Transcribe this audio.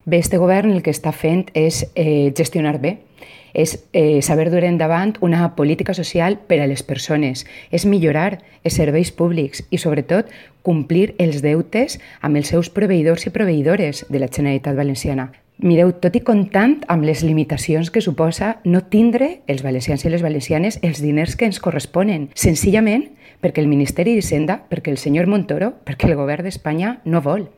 Bé, este govern el que està fent és gestionar bé, és saber dur endavant una política social per a les persones, és millorar els serveis públics i, sobretot, complir els deutes amb els seus proveïdors i proveïdores de la Generalitat Valenciana. Mireu, tot i comptant amb les limitacions que suposa no tindre els valencians i les valencianes els diners que ens corresponen, senzillament perquè el Ministeri d'Hisenda, perquè el senyor Montoro, perquè el govern d'Espanya no vol.